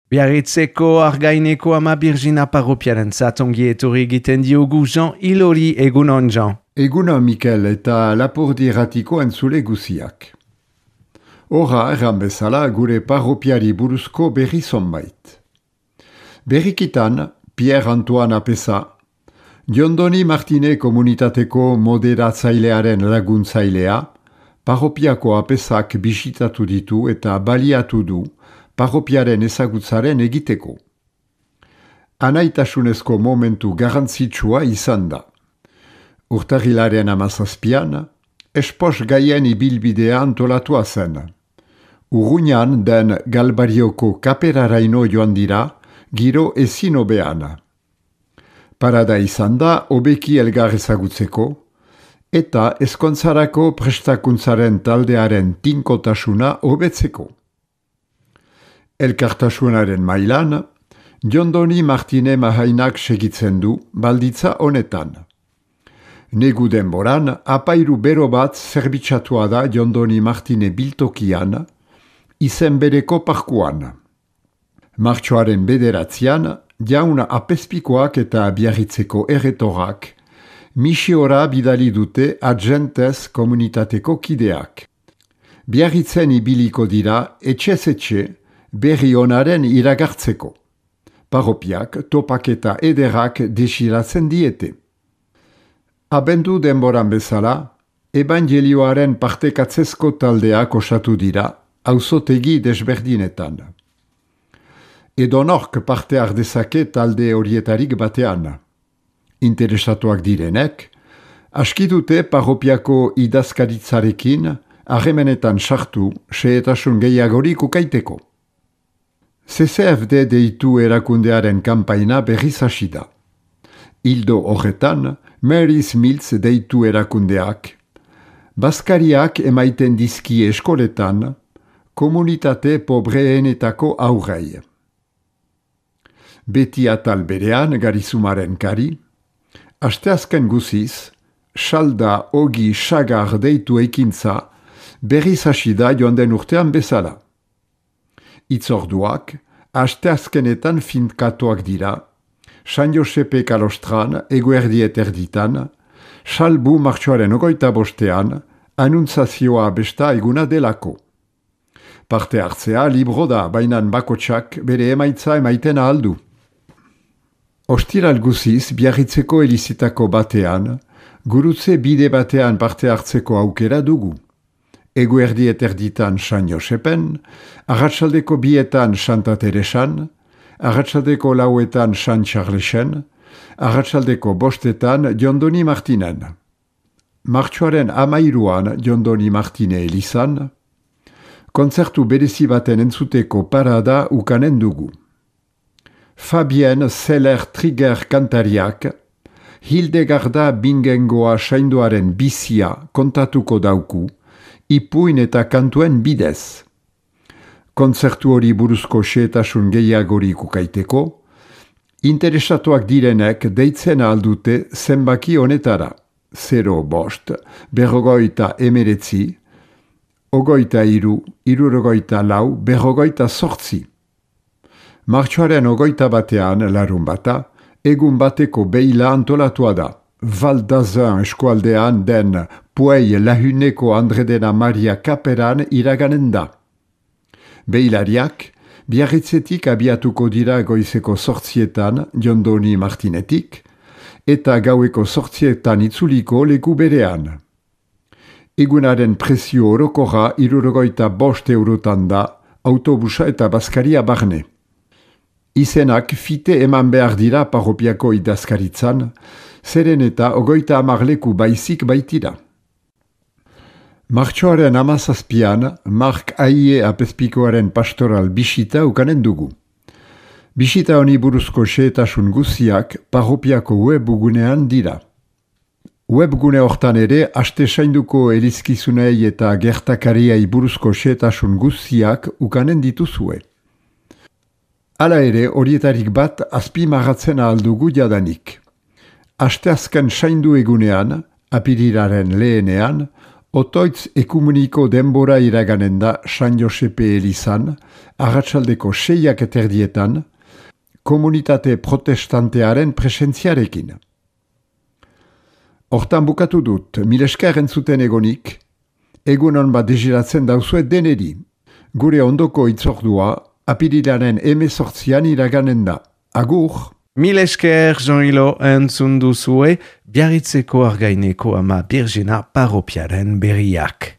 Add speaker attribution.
Speaker 1: Biarritzeko Argaineko Ama Birjina parropiaren ongi etorri egiten diogu Jean Ilori egunon Jean.
Speaker 2: Egunon Mikel eta Lapurdi Irratiko entzule guziak. Horra erran bezala gure parropiari buruzko berri zonbait. Berrikitan Pierre Antoine Apesa, Jondoni Martine komunitateko moderatzailearen laguntzailea, parropiako Apesak bisitatu ditu eta baliatu du parropiaren ezagutzaren egiteko. Anaitasunezko momentu garrantzitsua izan da. Urtarrilaren 17an, espos gaien ibilbidea antolatua zen. Urruñan den Galbarioko kaperaraino joan dira, giro ezin hobean. Parada izan da hobeki elgar ezagutzeko, eta ezkontzarako prestakuntzaren taldearen tinkotasuna hobetzeko. Elkartasunaren mailan, Jondoni Martine Mahainak segitzen du balditza honetan. Negu denboran, apairu bero bat zerbitzatua da Jondoni Martine biltokian, izen bereko parkuan. Martxoaren 9an, jaun apezpikoak eta Biarritzeko erretorak, misiora bidali dute Agentez komunitateko kideak. Biarritzen ibiliko dira etxez-etxe, berri honaren iragartzeko. Parropiak topaketa ederak desiratzen diete. Abendu denboran bezala, evangelioaren partekatzezko taldeak osatu dira, auzotegi desberdinetan. Edonork parte ardezake talde horietarik batean. Interesatuak direnek, aski dute parropiako idazkaritzarekin harremenetan sartu xehetasun gehiagorik ukaiteko. CCFD deitu erakundearen kanpaina berriz hasi da. Ildo horretan, Mary's Mills deitu erakundeak, bazkariak emaiten dizki eskoletan, komunitate pobreenetako aurrei. Beti atal berean garizumaren kari, asteazken guziz, salda ogi sagar deitu ekintza berriz hasi da joan den urtean bezala. Itzorduak, asteazkenetan finkatuak dira, San Josepe kalostran eguerdiet erditan, salbu martxoaren 25ean, anuntzazioa besta eguna delako. Parte hartzea libro da, bainan bakotsak bere emaitza emaiten aldu. Ostiral guziz, Biarritzeko elizitako batean, gurutze bide batean parte hartzeko aukera dugu. Eguerdiet erditan San Josepen, arratsaldeko 2etan Santa Teresan, arratsaldeko 4etan San Charlesen, arratsaldeko 5etan Jondoni Martinen. Martxoaren 13an Jondoni Martine elizan, kontzertu berezi baten entzuteko parada ukanen dugu. Fabien Zeller Trigger kantariak, Hildegarda Bingengoa sainduaren bizia kontatuko dauku, ipuin eta kantuen bidez. Kontzertu hori buruzko xehetasun gehiagorik ukaiteko, interesatuak direnek deitzen aldute zenbaki honetara, 05, 49, 23, 64, 48. Martxoaren 21ean larun bata, egun bateko beila antolatua da. Val d'Azun eskualdean den Puei Lahuneko Andredena Maria Kaperan iraganen da. Beilariak, Biarritzetik abiatuko dira goizeko 8etan Jondoni Martinetik, eta gaueko 8etan itzuliko leku berean. Egunaren prezio orokorra 65 eurotan da, autobusa eta bazkaria barne. Izenak fite eman behar dira parropiako idazkaritzan, zeren eta 30 leku baizik baitira. Martxoaren 17an, Mark Aie apezpikoaren pastoral bisita ukanen dugu. Bisita honi buruzko xehetasun guziak parropiako webgunean dira. Webgune hortan ere, aste sainduko elizkizunei eta gertakariai buruzko xehetasun guziak ukanen dituzue. Hala ere, horietarik bat azpimarratzen aldugu jadanik. Asteazken saindu egunean, apirilaren lehenean, Otoitz ekumeniko denbora iraganen da San Josepe elizan, arratsaldeko 6:00 komunitate protestantearen presentziarekin. Hortan bukatu dut, mil esker entzuten egonik, egunon bat desiratzen dauzuet deneri. Gure ondoko itzordua, apirilaren 18 iraganen da. Agur!
Speaker 1: Mil esker, Jean-Hilo, entzun duzue, Biarritzeko Argaineko Ama Birjina parropiaren berriak.